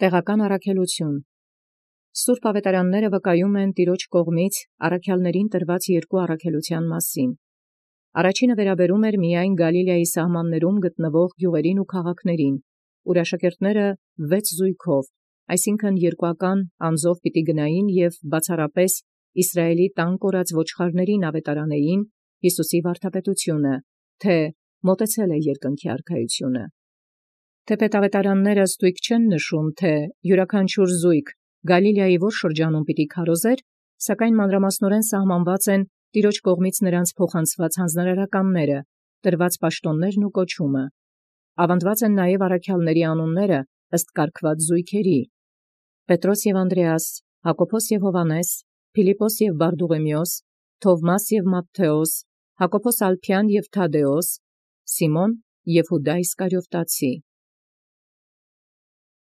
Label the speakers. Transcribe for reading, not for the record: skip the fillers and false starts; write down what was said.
Speaker 1: Տեղական առաքելութիւն։ Սուրբ ավետարանները վկայում են Տեառն կողմից առաքելոցն տրված երկու առաքելութեան մասին։ Առաջինը վերաբերում էր միայն Գալիլեայի սահմանացն գտնվող գիւղերին ու քաղաքացիցն, ուր աշակերտքն 6 զոյգով, այսինքն երկուական անձով պիտի գնային և բացառապես Իսրայէլի տան կորած ոչխարացն աւետարանեին Յիսուսի վարդապետութիւնը, թէ մոտեցել է երկնքի արքայութիւնը։ Թէպէտ աւետարանները ստոյգ չեն նշում, թէ յիւրաքանչիւր զոյգ Գալիլեայի որ շրջանում պիտի քարոզեր, սակայն մանրամասնորեն սահմանված են Տեառն կողմից նոցին փոխանցված հանձնարարականները, տրված պաշտաւններն ու կոչումը։ Աւանդած են նաև առաքելոցն անուանք ըստ կարգված զոյգերի. Պետրոս և Անդրեաս, Յակոբոս և Յովհաննես, Փիլիպպոս և Բարդուղիմեոս, Թովմաս և Մատթէոս, Յակոբոս Ալփեան և Թադէոս, Սիմոն և Յուդայ Իսկարիովտացի։